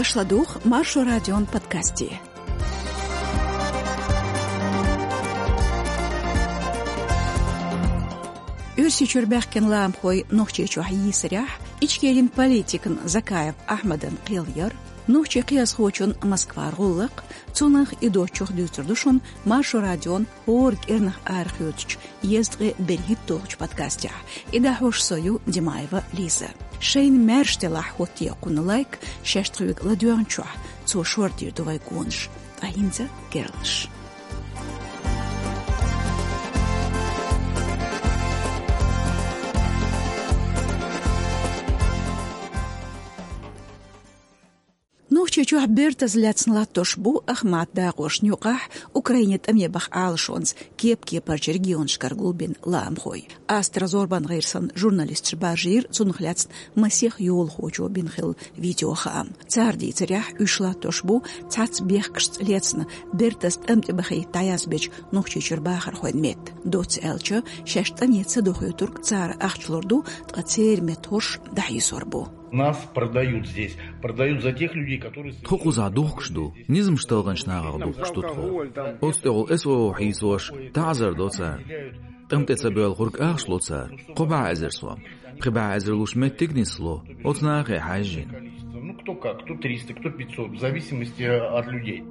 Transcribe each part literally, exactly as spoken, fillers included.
Аша ладугӀу Маршо радион подкасте. Оьрсийчуьра баьхкина ламахой Нохчийчохь йийсарехь, Ичкерин политикан Закаев Ахьмадан кхел яр, нохчийн кхиазхочун Москвара гӀуллакх, цунах и доцчух дуьйцур ду шуна Маршо радион хӀора кӀирнах арахоьцучу езткъе берхӀитталгӀачу подкастехь. И дӀахьош со ю, Димаева Лиза. Шайна маьрша делахь, хӀоттае кхунна лайк, шаьш тхоьга ладоьгӀначохь, цо шордийр ду вай гонаш. Ткъа хӀинца керланаш. Нохчийчохь бертаза лаьцна латтош бу Ахмат дакъошна юкъахь Украине тӀаме баха Ӏалашонца кеп-кепарчу регионашкара гулбина ламахой. Астра зорбан гӀирсан журналисташ баржийра цунах лаьцна масех йолахочо бина хилла видеохаам. Цара дийцарехь, уьш латтош бу цхьацца бехкашца лаьцна бертаза тӀам тӀе бахийта дӀаязбечу Нохчийчуьра бахархойн метта. Доцца аьлча, шаьш тӀаме ца дохуьйтург цара ахча лур ду, ткъа церан метта хӀорш дӀахьийсор бу. Нас продают здесь. Продают за тех людей, которые... Тхо кхузахь духкуш ду, низамаш талханчу нахах духкуш ду тхо. Оцу тӀехула эс о о хьийсош, таӀзар до цара. ТӀам тӀе ца боьлхург ахча ло цара, кхо бӀе эзар сом. Пхи бӀе эзар луш меттиг нисло, оцу нахе хьаьжжина. Ну, кто как, кто триста, кто пятьсот, в зависимости от людей.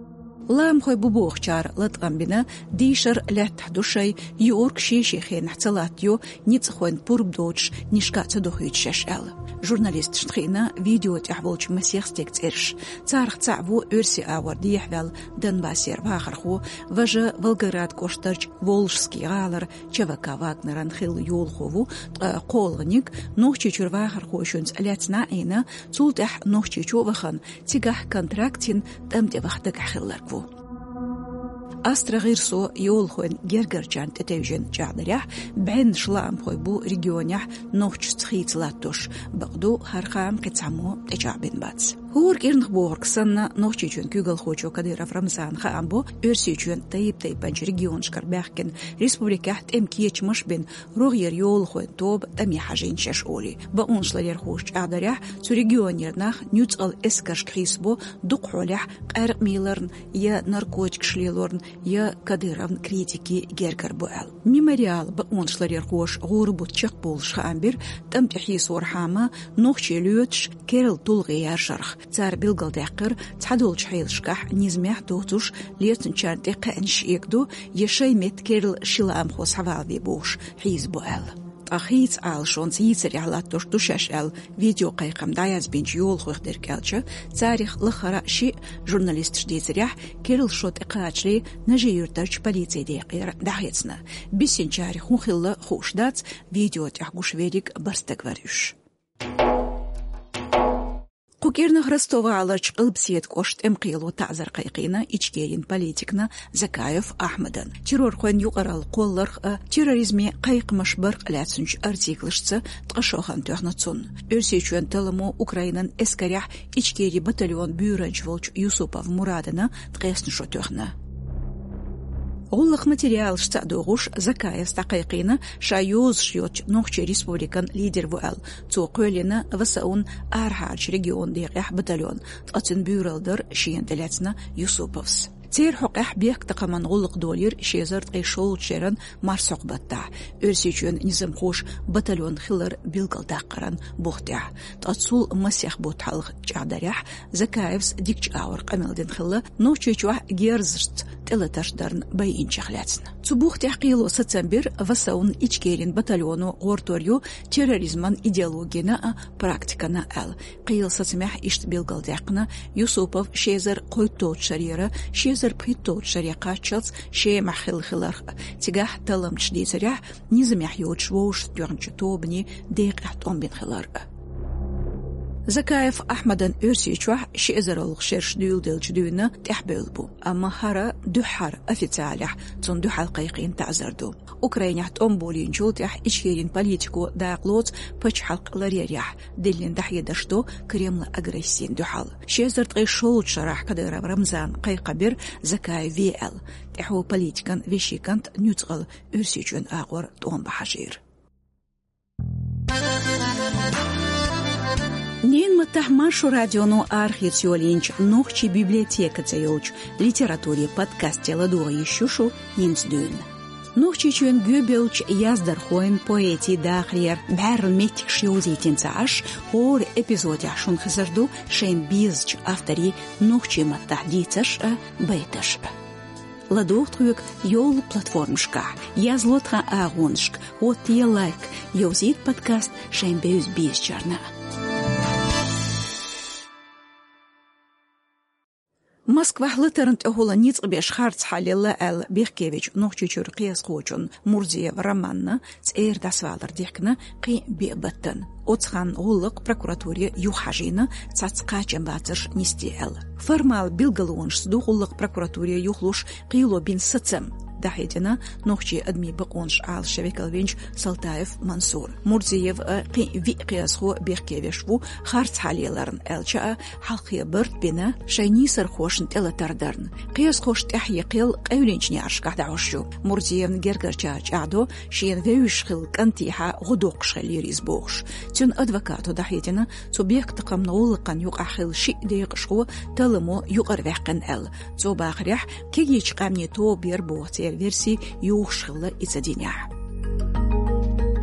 Ламахой бу бохучара латкъам бина, дийшар лаьттахь ду шайн, юург шен-шен хенахь ца латтайо, ницкъахойн пурба доцуш, нишка а ца дохуьйту шаьш аьлла. Журналисташна хиъна видео тӀехь волчу масех стеган цӀераш. Царах цхьаъ ву оьрсийн агӀор дехьаваьлла Донбассера вахархо, важа Волгоград кӀоштарчу Волжский гӀалара ЧВК Вагнеран хилла йолахо ву, ткъа кхоалгӀаниг Нохчийчуьра вахархошца лаьцна Ӏийна, цул тӀаьхьа Нохчийчу а вахана, цигахь контракт йина тӀам тӀе ваха дагахь хилларг ву. Астра гӀирсо йолахойн гергарчарна тӀетевжина чӀагӀдарехь, бӀеннаш ламахой бу регионехь нохчашца хийца латтош, бакъду, хӀара хаам кхин цхьаммо тӀечӀагӀбина бац. ХӀора кӀирнах бохург санна, Нохчийчоьнан куьйгалхочо Кадыров Рамзана хаам бо, Оьрсийчоьнан тайп-тайпанчу регионашкара баьхкина республикехь тӀеман кечамаш а бина, рогӀера йолахойн тоба тӀаме хьажийна шаьш олий. Бакъонашларъярхоша чӀагӀдарехь, цу регионера нах нуьцкъала эскаршка хьийсабо, дукха хьолехь къаьркъа мийларна, я наркотикаш лелорна, я Кадыровн критикийн гергара бу аьлла. Мемориалан бакъонашларъярхоша гӀуран бутт чекхбовлуш хаам бира, тӀам тӀе хьийсорхьама, нохчий лоьцуш керла тулгӀе яр шарах. Цара билгалдаьккхира, цхьадолчу хьелашкахь низамехь доцуш лецначарна тӀе кхаьънаш эгадо, я шайн метта керла ши ламахо схьавалаве бохуш хьийзабо аьлла. Ткъа хийца Ӏалашонца йийсарехь латтош ду шаьш аьлла, видеокхайкхам дӀаязбинчу йолахойх дерг аьлча, царах лахара а шиъ, журналисташа дийцарехь, керла шо тӀекхачале Нажи-Юьртарчу полицин декъера дӀахецна. Бисинчарех хӀун хилла хууш дац, видео тӀехь гуш верриг бархӀ стаг вара уьш. Кху кӀирнах Ростов-гӀаларчу Къилбаседа кӀоштан тӀеман кхело таӀзар кхайкхийна Ичкерин политикана Закаев Ахьмадана. Террорхойн юкъаралла кхолларх а, терроризме кхайкхамаш барх а лаьцначу артиклашца ткъа шо хан тоьхна цунна. Оьрсийчоьнан талламо Украинан эскарехь Ичкерин батальонан буьйранча волчу Юсупов Мурадана ткъесна шо тоьхна. ГӀуллакхан материалашца а догӀуш, Закаевс дӀакхайкхийна ша йозуш йоцучу Нохчийн Республикан лидер ву аьлла. Цо кхоьллина Васаун арахьарчу регионан декъехь батальон, ткъа цуьнан буьйралла дара шена тӀелаьцна Юсуповс. Церан хьокъехь бехктакхаман гӀуллакх долийра ши эзар ткъе шолгӀачу шеран марсхьокху баттахь, Оьрсийчоьнан низамхоша батальон хилар билгалдаккхаран бух тӀехь. Ткъа цул масех бутт хьалха чӀагӀдарехь, Закаевс дикачу агӀор къамел дина хилла, Нохчийчохь герзашца тӀелатарш дарна байинчех лаьцна. Цу бух тӀехь кхело сацам бира, Васаун Ичкерин батальоно гӀортор ю терроризман идеологина а, практикана а аьлла. Кхелан сацамехь иштта билгалдаьккхина, Юсупов ши эзар кхойтталгӀачу шарера ши эзар пхийтталгӀачу шаре кхаччалц Шемахь хилла хиларх а, цигахь талламчаша дийцарехь, низамехь йоцуш вовшахтоьхначу тобанийн декъехь тӀом бина хилар а. Закаев Ахьмадан Оьрсийчохь ши эзаралгӀа шераш дуьйладелча дуьйна тӀаьхьабевлла бу, амма хӀара дуьххьара официалехь цунна дуьхьал кхайкхийна таӀзар ду. Украинехь тӀом болийначул тӀаьхьа Ичкерин политико дакъа лоцу пачхьалкх ларъярехь, диллина дӀахьедарш до Кремлан агрессина дуьхьал. Ши эзар ткъе шолгӀачу шарахь Кадыров Рамзана кхайкхам бира Закаев ве аьлла, тӀаьхьо политикан вешин кӀант нуьцкъала Оьрсийчоьнан агӀор тӀом бан хьажийра. Ненан маттахь Маршо радионо архивца йолийначу «Нохчийн библиотека» цӀе йолчу литературин подкасте ладогӀа йиш ю шу хӀинца дуьйна. Нохчийчоьнан гоьбевллачу яздархойн, поэтийн дахарера бӀаьрла меттигаш йовзийтина ца Ӏаш, хӀора эпизодехь шуна хезар ду шайна безачу авторийн нохчийн маттахь дийцарш а, байташ а. ЛадогӀа тхоьга йолу платформашкахь, язло тхан агӀонашка, хӀоттае лайк, йовзийта подкаст шайн бевза-безачарна. Москвахь латарна тӀехула ницкъ беш харцхьа лелла аьлла бехке вечу Нохчийчуьра кхиазхочун Мурзиев Романна цӀера дӀасавалар дихкина кхин а биъ баттана. Оцу ханна гӀуллакх прокуратуре юхахьажийна, цхьацца кхачамбацарш нисде аьлла. Формал билгалонашца ду гӀуллакх прокуратуре юхалуш кхело бина сацам, дӀахьедина нохчийн адамийн бакъонаш Ӏалашъян векал винчу Салтаев Мансура. Мурзиев а, кхин а виъ кхиазхо бехке веш ву харцхьа леларна, аьлча а, хьалххе барт бина шайн нийсархошна тӀелатар дарна. Кхиазхош тӀаьхье кхел къевлинчу неӀаршкахь дӀахьош ю. Мурзиевна гергарчара чӀагӀдо, шена вевзаш хилла кӀантехьа гӀо доккхуш хиллера иза бохуш. Цуьнан адвокато дӀахьедина, цу бехктакхамна гӀуллакхна юкъахь хилла шиъ декъашхо талламо юкъара ваьккхина аьлла. Цо бахарехь, кегийчу къаьмнийн тоба яра боху церан верси юхуш хилла и ца динехь.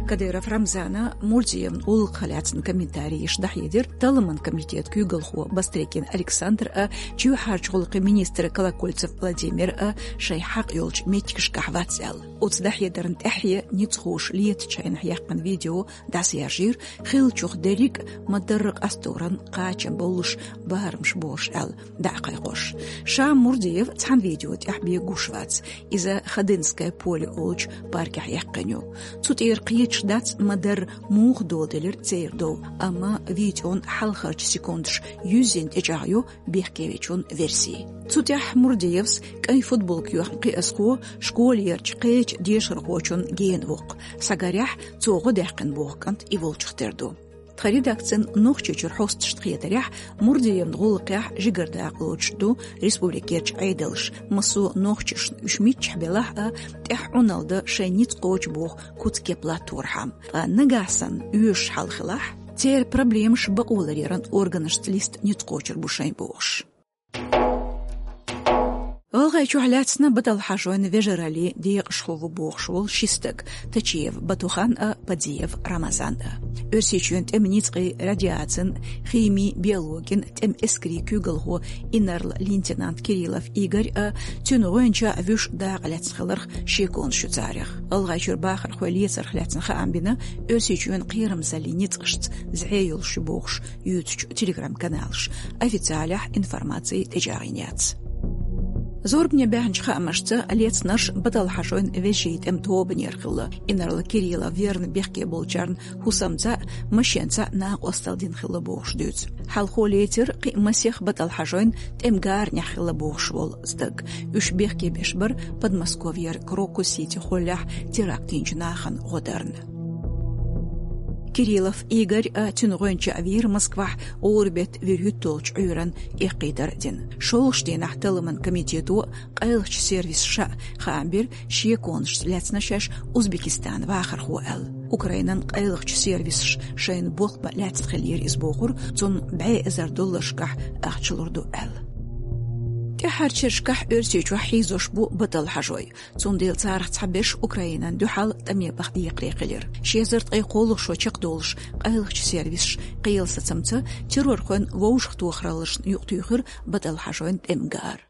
Кадыров Рамзана Мурзиевн гӀуллакхах лаьцна комментарий еш дӀахьедира талламан комитетан куьйгалхо Бастрыкин Александр а, чоьхьарчу гӀуллакхийн министр Колокольцев Владимир а шайн хьакъ йолчу меттигашкахь вац аьлла. Оцу дӀахьедарна тӀаьхье ницкъахоша летачу хенахь яьккхина видео дӀасаяьржийра, хиллачух дерриг а ма-дарра къасторан кхачам боллуш барамаш бохуш аьлла дӀакхайкхош. Ша Мурзиев цхьана видео тӀехь бен гуш вац. Иза Ходынское поле олучу паркехь яьккхина ю. Цу тӀера кхеташ дац ма-дарра муха доладелира церан дов, амма видеон хьалхарчу секундаш юьззина тӀечӀагӀйо бехке вечун верси. Цу тӀехь Мурзиевс кӀайн футболка йоьхна кхиазхо школерчу кхечу дешархочун гена ву-кх. Схьагарехь, цо гӀо даьккхина боху кӀант и волчух тера ду. Тхан редакцин Нохчийчуьра хьосташна хетарехь, Мурзиевн гӀуллакхехь жигара дакъа лоцуш ду республикерчу Ӏедалша, массо а нохчашна уьш миччахь белахь а, тӀаьхьа Ӏуналла дан шайн ницкъ кхочу боху куц-кеп латторхьама. Ткъа нагахь санна оьшуш хьал хилахь, церан проблемаш бакъоларъяран органашца листа ницкъ кхочур бу шайн бохуш. ГӀалгӀайчохь лаьцна Баталхьажойн вежараллин декъашхо ву бохуш волу ши стаг, Тачиев Батухан а, Падиев Рамазан а. Оьрсийчоьнан тӀеман ницкъийн, радиацин, химин, биологин тӀеман эскарийн куьйгалхо, инарла-лейтенант Кириллов Игорь а, цуьнан гӀоьнча а вуьш дакъа лаьцна хиларх шеконаш ю царех. ГӀалгӀайчуьра бахархой лецарх лаьцна хаам бина Оьрсийчоьнан кхерамзаллин ницкъашца зӀе йолуш ю бохуш юьйцучу телеграм-каналаша. Официалехь информаци тӀечӀагӀйина яц. Зорбане баьхначу хаамашца, лецнарш Баталхьажойн вежарийн тӀеман тобанера хилла. Инарла Кириллов верна бехке болчарна хӀусамца а, машенца а накъосталла дина хилла бохуш дуьйцу. Хьалхо лецира кхин а масех Баталхьажойн тӀеман гаранехь хилла бохуш волу стаг. Уьш бехке беш бара Подмосковьера Крокус-Сити холлехь теракт йинчу нахана гӀо дарна. Кириллов Игорь а, цуьнан гӀоьнча а вийра Москвахь гӀуран-беттан вуьрхӀитталгӀачу Ӏуьйранна эккхийтар а дина. ШолгӀачу дийнахь талламан комитето а, къайлахчу сервисаша а хаам бира, шеконашца лаьцна шаьш Узбекистанан вахархо аьлла. Украинан къайлахчу сервисаша шайна болх бан лаьцна хиллера иза бохура, цунна бӀе эзар долларшкахь ахча лур ду аьлла. ТӀаьххьарчу шерашкахь Оьрсийчохь хьийзош бу Баталхьажой. Цундела царах цхьаберш Украинан дуьхьал тӀаме баха декхаре хилира. Ши эзар ткъе кхоалгӀа шо чекхдолуш къайлахчу сервисаша кхелан сацамца террорхойн вовшахтохараллашна юкъатуьйхира Баталхьажойн тӀеман гара.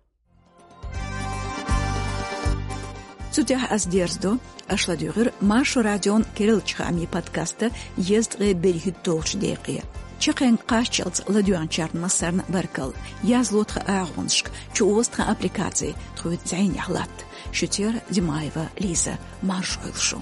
Цу тӀехь ас дерзадо, аша ладуьйгӀира Маршо радион кириллачу хаамийн подкаста езткъе берхӀитталгӀачу декъе. Чаккхенга кхаччалц ладоьгӀначарна массарна баркалла. Язло тхан агӀонашка, чуоза тхан аппликаци, тхоьца зӀенехь латта. Шуьцера Димаева Лиза, марша Ӏойла шу.